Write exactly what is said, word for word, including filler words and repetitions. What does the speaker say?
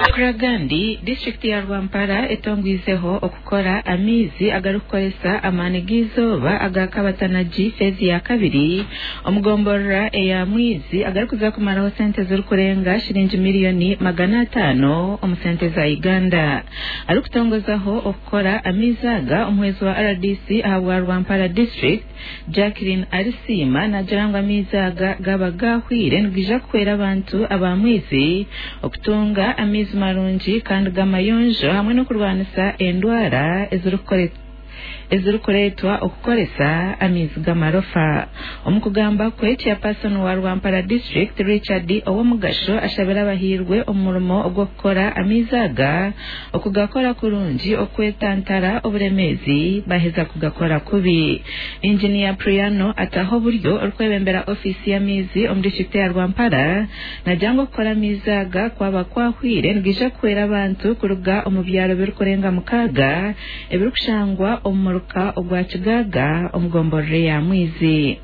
Kuragandi disitulikiti ya Rwampara etongwizeho okukora amaizi agarikukoresa amaani g'eizooba aga Kabatanagi feezi ya kabiri omugomborora eya Mwizi agarikuza kumaraho sente zirikurenga shiringi miliyoni magana ataano omu sente za Uganda. Arikutongozaho okukora amaizi aga omuhwezi wa R D C ahabwa Rwampara district, Jacqueline Arisiima, nagira ngu amaizi aga gaba gahwire nigaija kuhwera abantu aba Mwizi okutunga amaizi marungi kandi g'amayonjo hamwe n'okurwanisa endwara ezirikureetwa okukoresa amaizi g'amarofa. Omu kugamba kwe, chairperson wa Rwampara district, Richard Owomugasho, ashabire abahirwe omu murimo ogw'okukora amaizi aga okugakora kurungi okwetantara oburemeezi baheza kugakora kubi. Engineer Priano ataho oburyo orikwebembera ofiisi y'amaizi omu disitulikiti ya Rwampara nagira ngu okukora amaizi aga kwaba kwahwire nigaija kuhwera abantu kuruga omu byaro birikurenga mukaaga ebirikushangwa omu muruka ogwa Kigaga omu gomborora ya Mwizi.